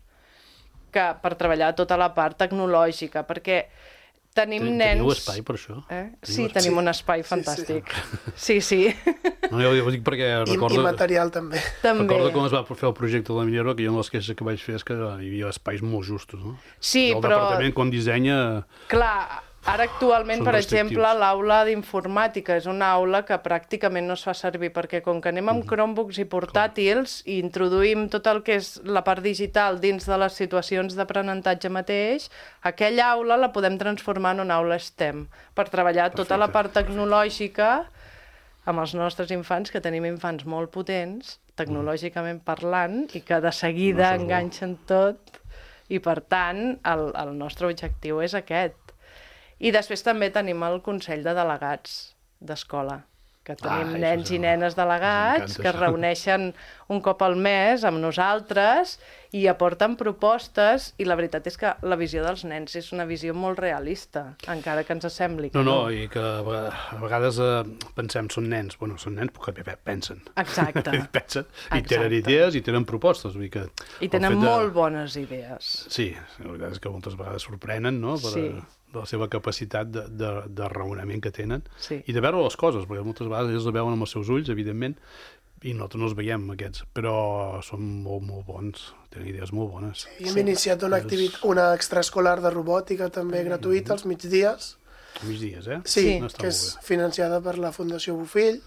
per treballar tota la part tecnològica, perquè tenim nens... Teniu espai per això? Sí, tenim un espai fantàstic. Sí. No, jo ho dic perquè recordo... I material també. Recordo quan es va fer el projecte de la Millora, que jo una de les queixes que vaig fer és que hi havia espais molt justos, no? Sí, el però... El departament, quan dissenya... Clar, ara actualment, Són per restrictius. exemple, l'aula d'informàtica és una aula que pràcticament no es fa servir, perquè com que anem amb Chromebooks i portàtils i introduïm tot el que és la part digital dins de les situacions d'aprenentatge mateix, aquella aula la podem transformar en una aula STEM, per treballar tota la part tecnològica amb els nostres infants, que tenim infants molt potents, tecnològicament parlant, i que de seguida enganxen tot, i per tant el nostre objectiu és aquest. I després també tenim el Consell de Delegats d'Escola, que tenim nens i nenes delegats que es reuneixen un cop al mes amb nosaltres i aporten propostes, i la veritat és que la visió dels nens és una visió molt realista, encara que ens sembli que No, i que a vegades pensem, són nens, perquè pensen. Exacte. Pensen, i tenen idees i tenen propostes. Vull dir que I tenen molt bones idees. Sí, la veritat és que moltes vegades sorprenen, no?, de la seva capacitat de raonament que tenen, i de veure les coses, perquè moltes vegades ells la veuen amb els seus ulls, evidentment, i nosaltres no els veiem, aquests, però són molt, molt bons, tenen idees molt bones. I hem iniciat una extraescolar de robòtica també gratuïta als migdies. Migdies, Sí, que és financiada per la Fundació Bofill.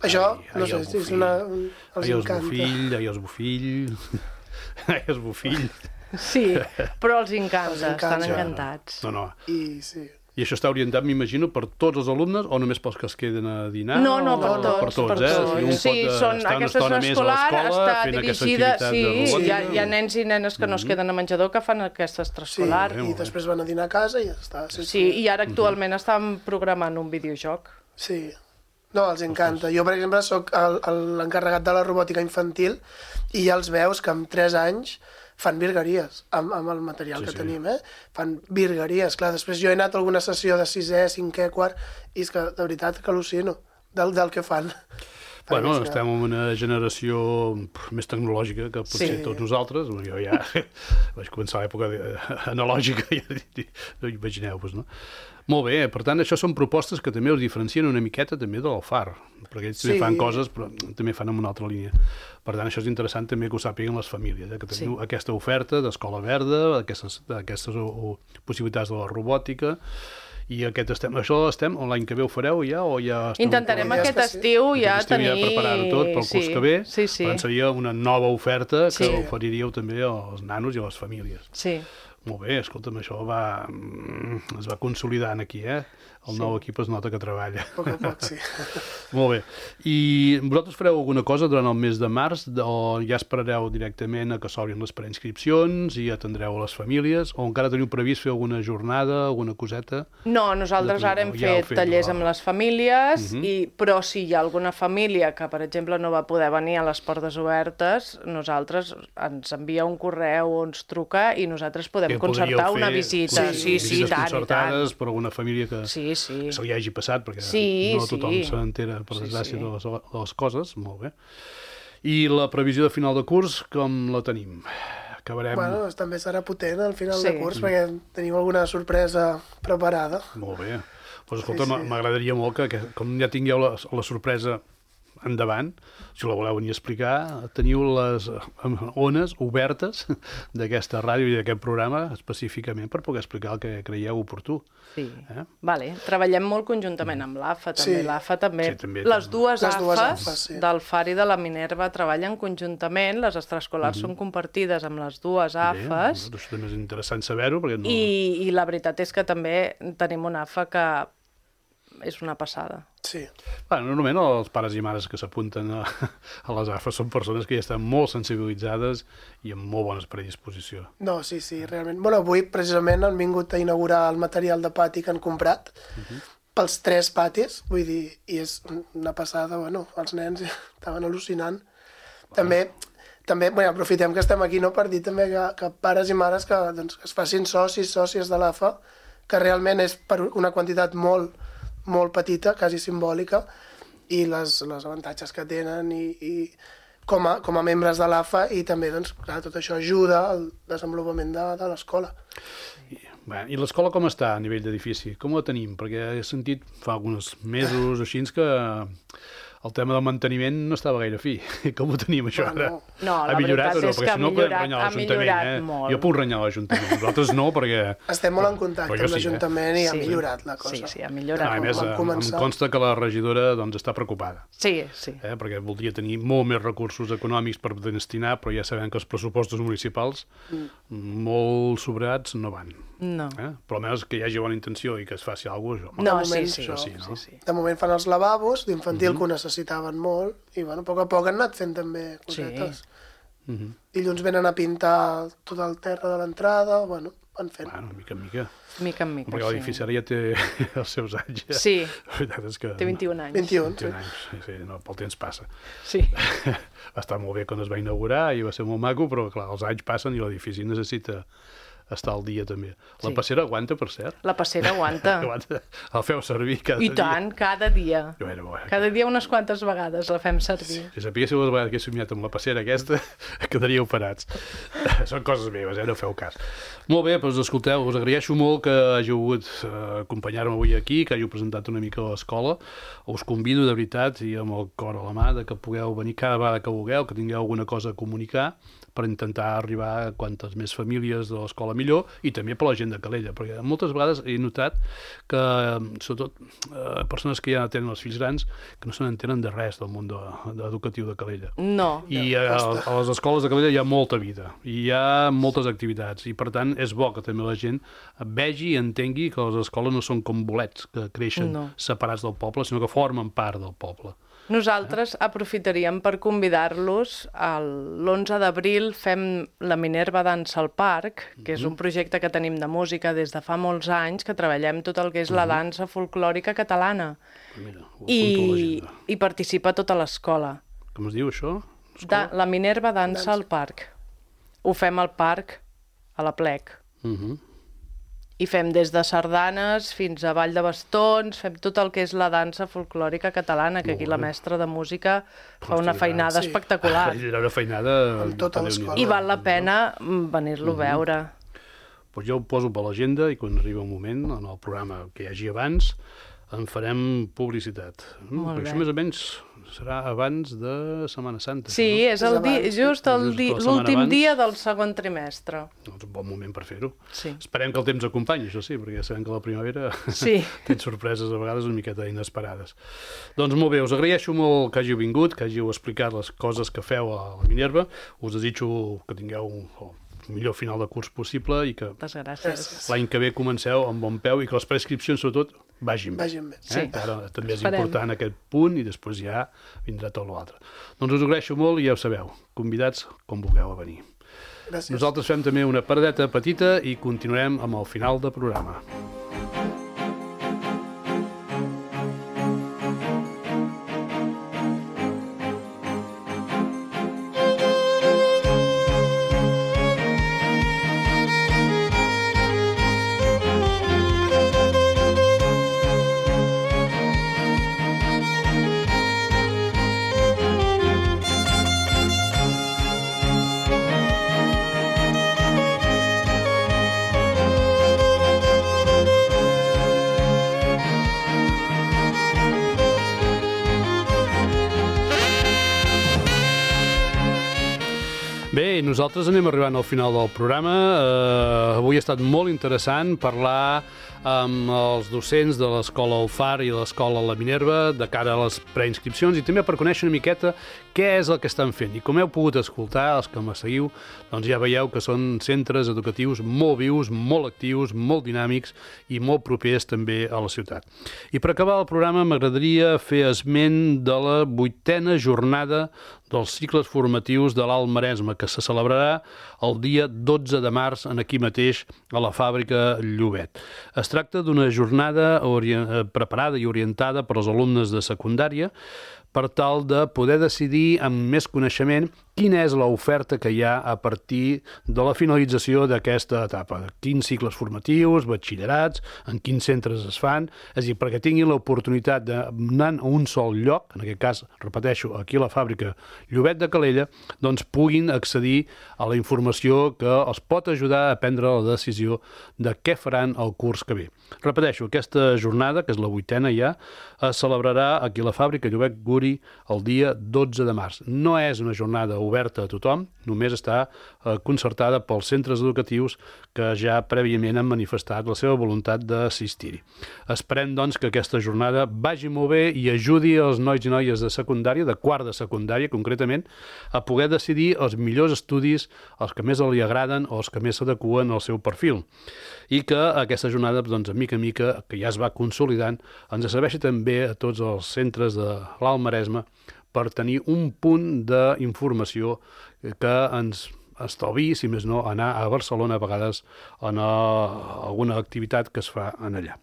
Això, no sé, és els encanta. Ai, els Bofill. Sí, però els encanta, estan encantats. No. I això està orientat, m'imagino, per tots els alumnes o només pels que es queden a dinar? No, per tots. Sí, aquesta extraescolar està dirigida... Sí, hi ha nens i nenes que no es queden a menjador que fan aquesta extraescolar. Sí, i després van a dinar a casa i ja està. Sí, i ara actualment estan programant un videojoc. Sí. No, els encanta. Jo, per exemple, soc l'encarregat de la robòtica infantil i ja els veus que amb 3 anys fan virgueries amb el material que tenim, Fan virgueries. Clar, després jo he anat a alguna sessió de 6è, 5è, 4è, i és que, de veritat, que al·lucino del que fan. Bueno, estem en una generació més tecnològica que potser tots nosaltres. Jo ja vaig començar a l'època analògica, imagineu-vos, no? Molt bé, per tant, això són propostes que també us diferencien una miqueta també de l'Alfar, perquè ells també fan coses, però també fan en una altra línia. Per tant, això és interessant també que ho sàpiguen les famílies, que teniu aquesta oferta d'escola verda, aquestes possibilitats de la robòtica, i això l'estem, l'any que ve ho fareu ja? Intentarem aquest estiu ja tenir... preparar-ho tot pel curs que ve, per tant seria una nova oferta que oferiríeu també als nanos i a les famílies. Sí. Molt bé, escolta'm, això es va consolidant aquí, El nou equip es nota que treballa. A poc a poc, sí. Molt bé. I vosaltres fareu alguna cosa durant el mes de març o ja esperareu directament a que s'obrin les preinscripcions i atendreu a les famílies o encara teniu previst fer alguna jornada, alguna coseta? No, nosaltres ara hem fet tallers amb les famílies, però si hi ha alguna família que, per exemple, no va poder venir a les portes obertes, nosaltres ens envia un correu o ens truca i nosaltres podem concertar una visita. Sí, visites tant, concertades per alguna família que se li hagi passat, perquè no tothom s'entera, per desgràcia, de les coses. Molt bé. I la previsió de final de curs, com la tenim? Acabarem... Bueno, també serà potent al final de curs, perquè tenim alguna sorpresa preparada. Molt bé. Doncs escolta, m'agradaria molt que, com ja tingueu la sorpresa endavant, si la voleu venir a explicar, teniu les ones obertes d'aquesta ràdio i d'aquest programa específicament per poder explicar el que creieu oportú. Sí, vale. Treballem molt conjuntament amb l'AFA, també. L'AFA també. Les dues AFAs del FAR i de la Minerva treballen conjuntament, les extraescolars són compartides amb les dues AFAs. Això també és interessant saber-ho. I la veritat és que també tenim una AFA que és una passada. Sí. Normalment els pares i mares que s'apunten a les AFA són persones que ja estan molt sensibilitzades i amb molt bona predisposició. No, sí, realment. Bueno, avui precisament han vingut a inaugurar el material de pati que han comprat pels 3 patis, vull dir, i és una passada, bueno, els nens estaven al·lucinant. També aprofitem que estem aquí per dir també que pares i mares que es facin sòcies de l'AFA, que realment és per una quantitat molt petita, quasi simbòlica, i els avantatges que tenen i com a membres de l'AFA, i també, clar, tot això ajuda al desenvolupament de l'escola. I l'escola com està a nivell d'edifici? Com la tenim? Perquè he sentit fa alguns mesos així que el tema del manteniment no estava gaire fi. Com ho tenim, això, ara? No, la veritat és que ha millorat molt. Jo puc renyar l'Ajuntament, nosaltres no, perquè... Estem molt en contacte amb l'Ajuntament i ha millorat la cosa. Sí, ha millorat. A més, em consta que la regidora està preocupada. Sí. Perquè voldria tenir molt més recursos econòmics per destinar, però ja sabem que els pressupostos municipals molt sobrats no van. No. Però almenys que hi hagi bona intenció i que es faci alguna cosa. No, sí. De moment fan els lavabos d'infantil que ho necessitaven molt i, bueno, a poc han anat fent també cosetes. Dilluns venen a pintar tot el terra de l'entrada, bueno, van fent. Bueno, mica en mica. Mica en mica, perquè l'edifici ara ja té els seus anys. Sí, té 21 anys. 21 anys, sí, el temps passa. Sí. Va estar molt bé quan es va inaugurar i va ser molt maco, però clar, els anys passen i l'edifici necessita estar al dia també. La passera aguanta, per cert? La passera aguanta. El feu servir cada dia? I tant, cada dia. Cada dia unes quantes vegades la fem servir. Si sapiguéssiu les vegades que he somiat amb la passera aquesta, quedaríeu parats. Són coses meves, no feu cas. Molt bé, doncs escolteu, us agraeixo molt que hàgiu volgut acompanyar-me avui aquí, que hàgiu presentat una mica l'escola. Us convido, de veritat, i amb el cor a la mà, que pugueu venir cada vegada que vulgueu, que tingueu alguna cosa a comunicar, per intentar arribar a quantes més famílies de l'escola millor, i també per la gent de Calella, perquè moltes vegades he notat que, sobretot, persones que ja tenen els fills grans, que no se n'entenen de res del món educatiu de Calella. No. I a les escoles de Calella hi ha molta vida, i hi ha moltes activitats, i per tant és bo que també la gent vegi i entengui que les escoles no són com bolets que creixen separats del poble, sinó que formen part del poble. Nosaltres aprofitaríem per convidar-los. L'11 d'abril fem la Minerva Dansa al Parc, que és un projecte que tenim de música des de fa molts anys, que treballem tot el que és la dansa folclòrica catalana. I participa tota l'escola. Com es diu, això? La Minerva Dansa al Parc. Ho fem al parc, a la Plec. I fem des de sardanes fins a ball de bastons, fem tot el que és la dansa folclòrica catalana, que aquí la mestra de música fa una feinada espectacular. Una feinada... I val la pena venir-lo a veure. Doncs jo ho poso per l'agenda i quan arriba un moment, en el programa que hi hagi abans, en farem publicitat. Molt bé. Això més o menys serà abans de Setmana Santa. Sí, és just l'últim dia del segon trimestre. És un bon moment per fer-ho. Sí. Esperem que el temps acompanyi, això sí, perquè sabem que la primavera té sorpreses a vegades una miqueta inesperades. Doncs molt bé, us agraeixo molt que hàgiu vingut, que hàgiu explicat les coses que feu a la Minerva. Us desitjo que tingueu el millor final de curs possible i que l'any que ve comenceu amb bon peu i que les prescripcions, sobretot, vagin bé. Sí. Ara també és Esperem. important aquest punt i després ja vindrà tot l'altre. Doncs us ho agraeixo molt i ja ho sabeu, convidats com vulgueu a venir. Gràcies. Nosaltres fem també una paradeta petita i continuarem amb el final del programa. Bé, nosaltres anem arribant al final del programa. Avui ha estat molt interessant parlar amb els docents de l'Escola Alfar i l'Escola La Minerva de cara a les preinscripcions i també per conèixer una miqueta què és el que estan fent. I com heu pogut escoltar, els que me seguiu, doncs ja veieu que són centres educatius molt vius, molt actius, molt dinàmics i molt propers també a la ciutat. I per acabar el programa m'agradaria fer esment de la 8a jornada dels cicles formatius de l'Alt Maresme, que se celebrarà el dia 12 de març aquí mateix a la fàbrica Llobet. Es tracta d'una jornada preparada i orientada per als alumnes de secundària per tal de poder decidir amb més coneixement quina és l'oferta que hi ha a partir de la finalització d'aquesta etapa. Quins cicles formatius, batxillerats, en quins centres es fan, és a dir, perquè tinguin l'oportunitat d'anar a un sol lloc, en aquest cas, repeteixo, aquí a la fàbrica Llobet de Calella, doncs puguin accedir a la informació que els pot ajudar a prendre la decisió de què faran el curs que ve. Repeteixo, aquesta jornada, que és la 8a ja, es celebrarà aquí a la fàbrica Llobet Guri el dia 12 de març. No és una jornada oberta a tothom, només està concertada pels centres educatius que ja prèviament han manifestat la seva voluntat d'assistir-hi. Esperem, doncs, que aquesta jornada vagi molt bé i ajudi els nois i noies de secundària, de quart de secundària concretament, a poder decidir els millors estudis, els que més li agraden o els que més s'adeqüen al seu perfil. I que aquesta jornada, doncs, mica en mica, que ja es va consolidant, ens serveixi també a tots els centres de l'Alt Maresme per tenir un punt d'informació que ens estalvi, si més no, anar a Barcelona a vegades en alguna activitat que es fa en allà.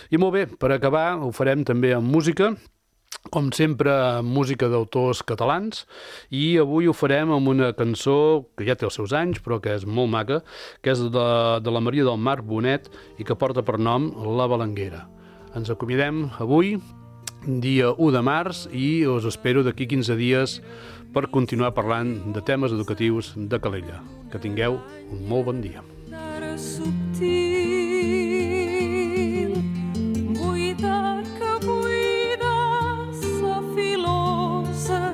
I molt bé, per acabar ho farem també amb música, com sempre música d'autors catalans, i avui ho farem amb una cançó que ja té els seus anys però que és molt maca, que és de la Maria del Mar Bonet i que porta per nom La Balanguera. Ens acomiadem avui, dia 1 de març, i us espero d'aquí 15 dies per continuar parlant de temes educatius de Calella. Que tingueu un molt bon dia. Subtil, buida que buida sa filosa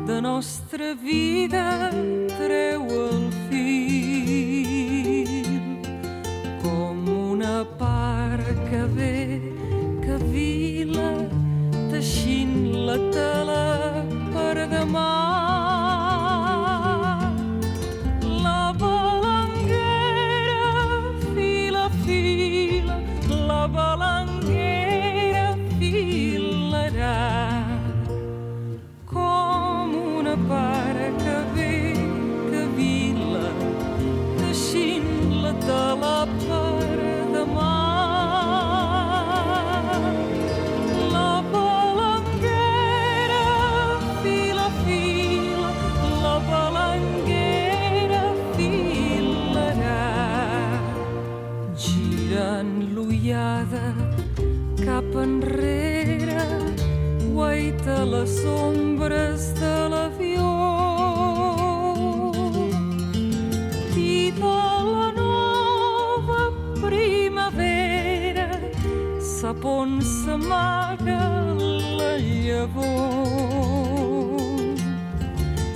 de nostra vida treu el fil com una part que ve que vila teixint la tela per demà. La balanguera fila, fila, la balanguera filarà com una part que ve, que vila, teixint la tela per demà. Cap enrere guaita les ombres de l'avió i de la nova primavera sap on s'amaga la llavor.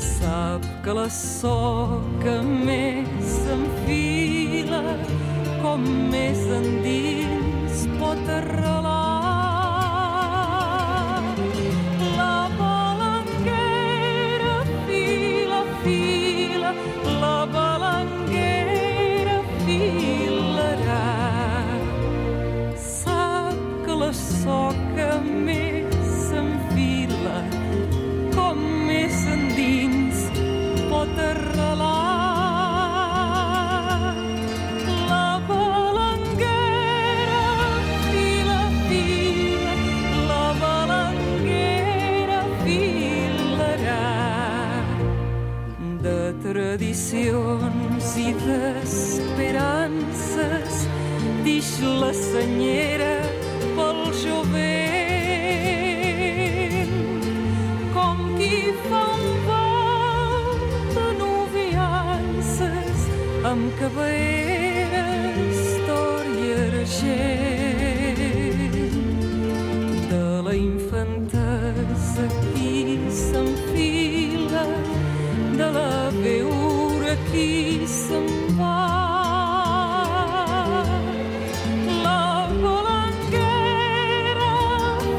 Sap que la soca més s'enfila com més endins pot arrelar. La balanguera fila, fila, la balanguera filarà. Sap que la arrelat. La balanguera fila, fila, la balanguera filarà. De tradicions i d'esperances dix la senyera pel jovent, com qui fa un bal de noviances amb caberes d'or i argent. De la infantesa qui s'enfila, de la veure qui se'n va. La balanguera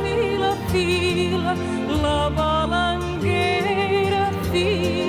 fila, fila, la balanguera fila.